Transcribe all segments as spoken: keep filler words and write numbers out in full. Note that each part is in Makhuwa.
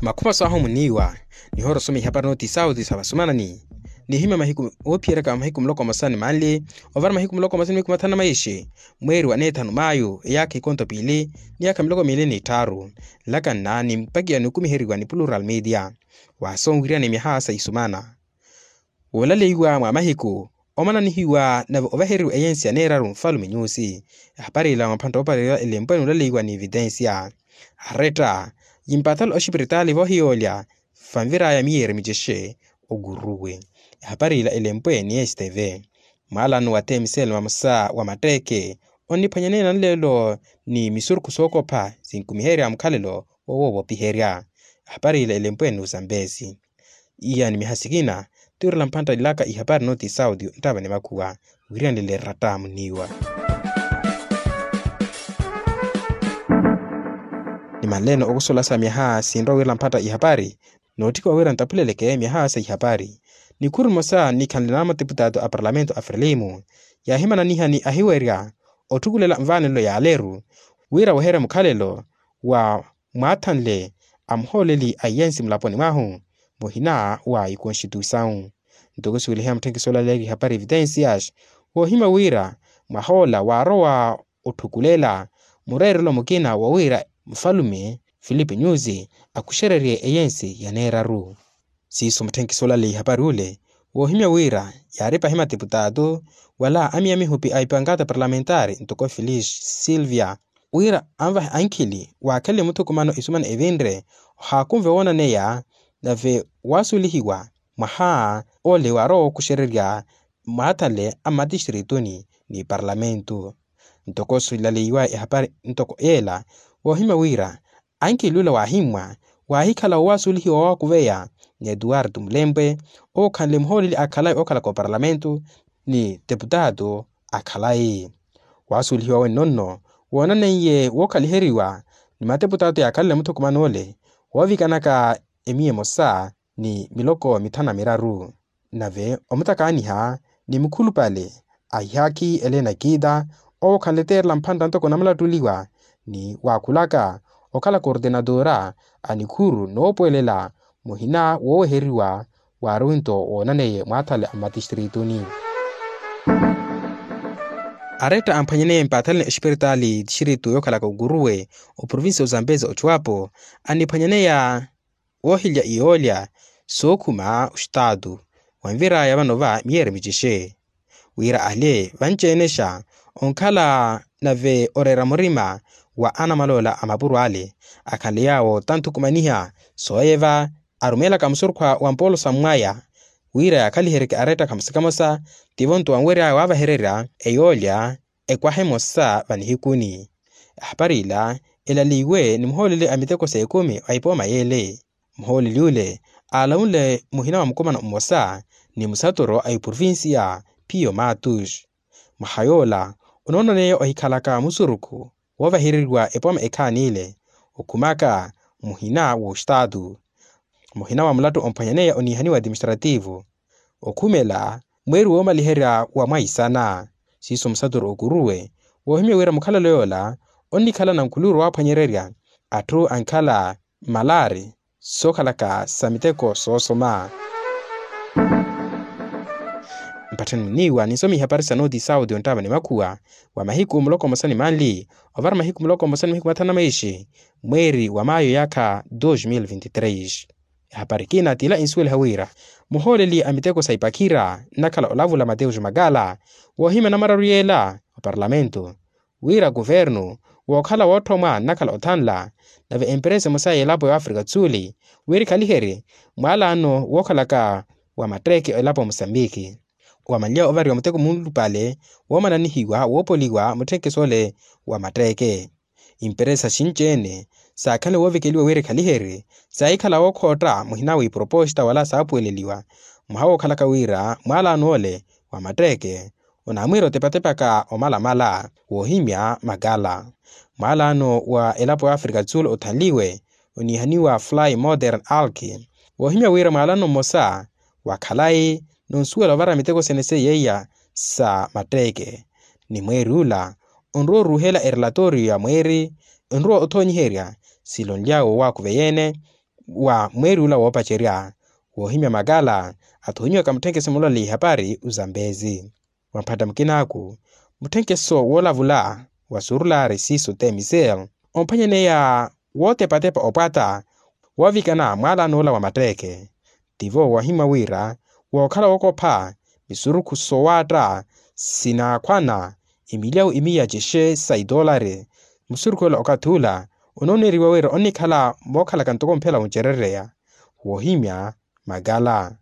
Makhuma swahu muniiwa nihoora osoma ihapari nooti sauti sa vasumanani. Nihimya mahiku oophiyeryaka mahiku muloko mosa ni manli ovara mahiku muloko mosa ni mahiku mathanu na maishi, mweeri wa neethanu mayu eyaakha ikonto piili ni yaakha miloko miili ni tthaaru. Nlakanna ni mpakiya nikumiheriwa ni plural media. Waaso onwiriyana myaha sa isumana woolaleiwa mwa mahiku omananihiwa nave ovaheriwa eyensi ya neeraru nfalume nyusi. Ehapari ila mwamphantta oopareriwa elempwe nuulaleiwa ni evitensia aretta yimpatala oxipiritaali vohiyoolya vanviraya miyeeri micexe. Okuruwe ehapari ila elempwe ni esteve mwaalano wa temsel mamosa wa matteeke onniphwanyaneya nleelo ni misurukhu sookopha sinkumiherya mukhalelo woowo voopiherya. Ehapari ila elempwe ni uzambesi iya ni miha sikina. Tiirela mphantta ilaka ihapari nooti sauti nttava ni makhuwa wiriyanlele ratta muniiwa. Nimanleene okusola sa myaha sinrowa wira mphantta ihapari nootthika wira ntaphuleleke myaha sa ihapari. Nikhuru nimosa nikhanle na mateputato a parlamento a frelimu yaahimananiha ni ahiwerya otthukulela nvaanelo yaaleru wira weherya mukhalelo wa mwaathanle a muhooleli a iyensi mulaponi mwahu muhina wa ikonstituisawu. Ntoko siweliheya mutthenkisi olaleerya ihapari evitensias woohimya wira mwahoola waarowa otthukulela mureerelo mukina wa wira mufalume filipe nyusi akuxererye eyensi ya neeraru. Siiso mutthenkisi olaleya ihapari ule woohimya wira yaari pahi mateputato wala amiya mihupi a ipankata parlamentari ntoko filish silvia wira anvahe ankhili waakhelele muthukumano isumana evinre ohaakunve woonaneya nave waasulihiwa mwaha ole waarowa wookuxererya mwaathanle a mmatistirituni ni parlamento. Ntoko silaleiwa ehapari ntoko yeela woohimya wira ankhili ula waahimmwa waahikhala woowaasulihiwa waakuveya ni etuwartu mulempwe owo okhanle muhooleli a khalayi ookhalaka oparlamento ni teputato a khalayi. Waasulihiwa wenno-nno woonaneiye wookhaliheriwa ni mateputato yaakhalele muthukumano ole woovikanaka emiya emosa ni miloko mithanu na miraru. Nave omutakaaniha ni mukhulupale a ihaakhi elena kiita owo okhanle teerela mphantta ntoko namulattuliwa ni waakhulaka okhala kortenatora a nikhuru noopuwelela muhina wooweheriwa waari winto woonaneiye mwaathale a mmatistirituni. Aretta amphwanyaneiye mpaathaleni experitaali tixiritu yookhalaka okuruwe oprovincia ozambezi ochuwapo aniphwanyaneya woohilya iyoolya sookhuma ostaatu wanviraya vano-va miyeeri micexe wira ale vanci-enexa onkhala nave oreera murima wa anamaloola a mapuro ale akhanle yaawo tanthukumaniha sooyeva arumeelaka musurukhwa wa mpoolo sammwaya wira yaakhaliheryeke aretta khamosa khamosa tivo nto wanweryaya waavahererya eyoolya ekwaha emosa vanihikuni. Ehapari ila elaliwe ni muhooleli a miteko s'ekumi a ipooma y'ele muhooleli ule aalawunle muhina wa mukumano mmosa ni musatoro a iprovincia piyo matus mwaha yoola onoonaneya ohikhalaka musurukhu woovahereriwa epooma ekhaani ile okhumaka muhina w'ostaatu muhina wa mulattu omphwanyaneya oniihaniwa administrativo okhumela mweeri woomaliherya wa mwaisana siiso musaturu okuruwe woohimya wira mukhalelo yoola onnikhala nankhuluuru waaphwanyererya atthu ankhala mmalaari sookhalaka sa miteko soosoma. Mpatthani muniiwa ninsoma ihapari sa nooti sauti ontava ni makhuwa wa mahiku muloko mmosa ni manli ovara mahiku muloko mmosa ni mahiku mathanu na maishi mweeri wa mayo yaakha dos mil vinti tres. Ehapari ekina t'ila insuweliha wira muhooleli a miteko sa ipakhira nnakhala olavula mateus makala woohimya namararu y'ela oparlamento wira kuvernu wookhala wootthomwa nnakhala othanla nave emperesa emosa y'elapo y'afrika tsuli wira ekhaliherye mwaalano wookhalaka wa matteeke elapo musambiki wamanlya ovariwa muteko muulupale woomananihiwa woopoliwa mutthenkesi ole wa matteeke. Imperesa xinci-ene saakhanle woovekeliwa wira ekhaliherye saahikhala wookhootta muhina w'iproposta wala saapuweleliwa mwaha wookhalaka wira mwaalano ole wa matteeke onaamwiira otepatepaka omalamala woohimya makala. Mwaalano wa elapo y'afrika tsulu othanliwe oniihaniwa fly modern alki woohimya wira mwaalano mmosa wa khalayi nonsuwela ovara miteko sene seiya iya sa matteeke ni mweeri ula onrowa oruuhela erelatoriyo ya mweeri onrowa othoonyiherya silonly'awe owaakuveya-ene wa mweeri ula woopacerya woohimya makala athoonyiwaka mutthenkeso mulole ihapari uzambezi. Wa mphatta mukinaaku, mutthenkeso woolavula wa surulaari siiso temisel omphwanyaneya wootepatepa opwata woovikana mwaalano ola wa matteeke. Tivo woohimya wira wookhala wookopha misurukhu sowaatta sinaakhwana emilyawu emiya cexe sa itoolari. Musurukhu ola okathi ula onooneriwa wira onnikhala mookhalaka ntoko mphela wuncerereya woohimya makala.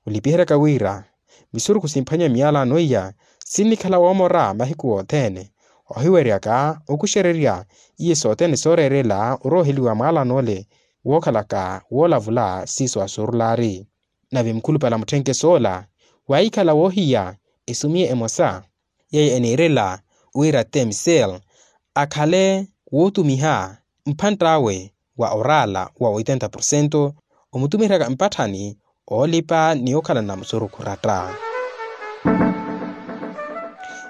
Olipiheryaka wira misurukhu simphwanya miyalano iya sinnikhala woomora mahiku othene ohiweryaka okuxererya iye sothene sooreerela orooheliwa mwaalano ole wookhalaka woolavula siiso asurulaari. Nave mukhulupale a mutthenkeso ola waahikhala woohiya esumiye emosa yeye eniirela wira temisel akhale wootumiha mphantt'awe wa oraala wa oitenta porcento omutumiheryaka mpatthani oolipa ni okhalana musurukhu ratta.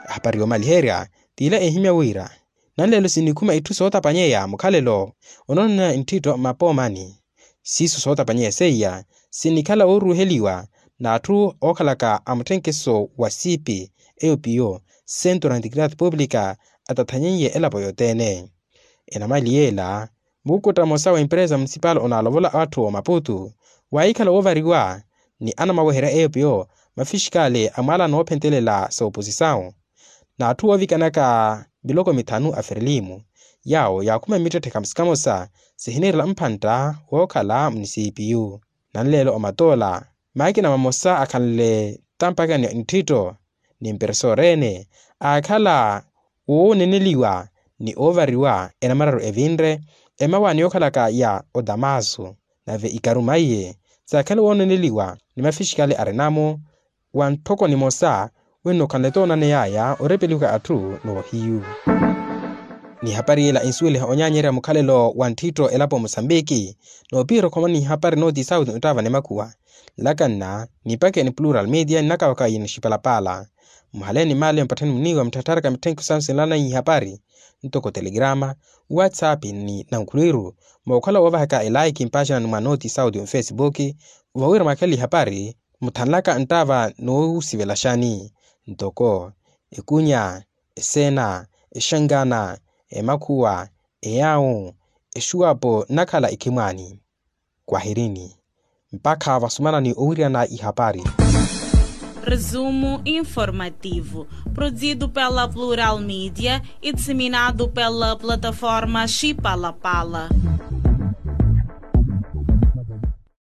Ahapari yoomaliherya t'ila ehimya wira nanleelo sinikhuma itthu sootapanyeya mukhalelo onoonana ntthitto mmapoomani. Siiso sootapanyeya seiya sinnikhala wooruuheliwa n'atthu ookhalaka a mutthenkeso wa siipi eyo piyo centro antigrad publica atathanyeiye elapo yothene. Enamali yeela mukukuttha mmosa wa empresa munisipal onaalovola atthu omaputu waahikhala woovariwa ni anamaweherya eyo piyo mafixikali a mwaala noophentelela sa oposisawu n'atthu woovikanaka miloko mithanu a ferelimu yaawo yaakhuma mittetthe kamosa kamosa sihiniirela mphantta wookhala munisipiyu. Nanleelo omatoola maakina mamosa akhanle tampakani ntthitto ni mperesoorene aakhala wooneneliwa ni oovariwa enamararu evinre emawaani yookhalaka ya otamasu nave ikaruma iye saakhala wooneneliwa ni mafixikali arina-mo wa ntthoko nimosa wenno okhanle toonaneyaya orepeliwaka atthu n'ohiyu. Ni ehapari yela ensuweliha onyaanyerya mukhalelo wa ntthitto elapo musambiki noopiherya okhoma ni ehapari nootisawiti ottava ni makhuwa nlakanna nipakhe ni plural media nnakawaka iye nixipalapala. Muhaleeni maale mpatthani muniiwa mutthattharaka mitthenke samu sinlananyi ihapari ntoko telegrama whatsapp ni nankhulwiru mookhala woovahaka elaiki mpaaxanani mwa nootisawiti ofesibuki vawira mwakhela ihapari muthanlaka nttava noosivelaxani ntoko ekunya eseena exangana emakhuwa eyawu exuwapo nnakhala ekhimwaani. Kwahirini mpakha vasumanani owiryana ihapari. Resumo informativo produzido pela plural media e disseminado pela plataforma xipalapala.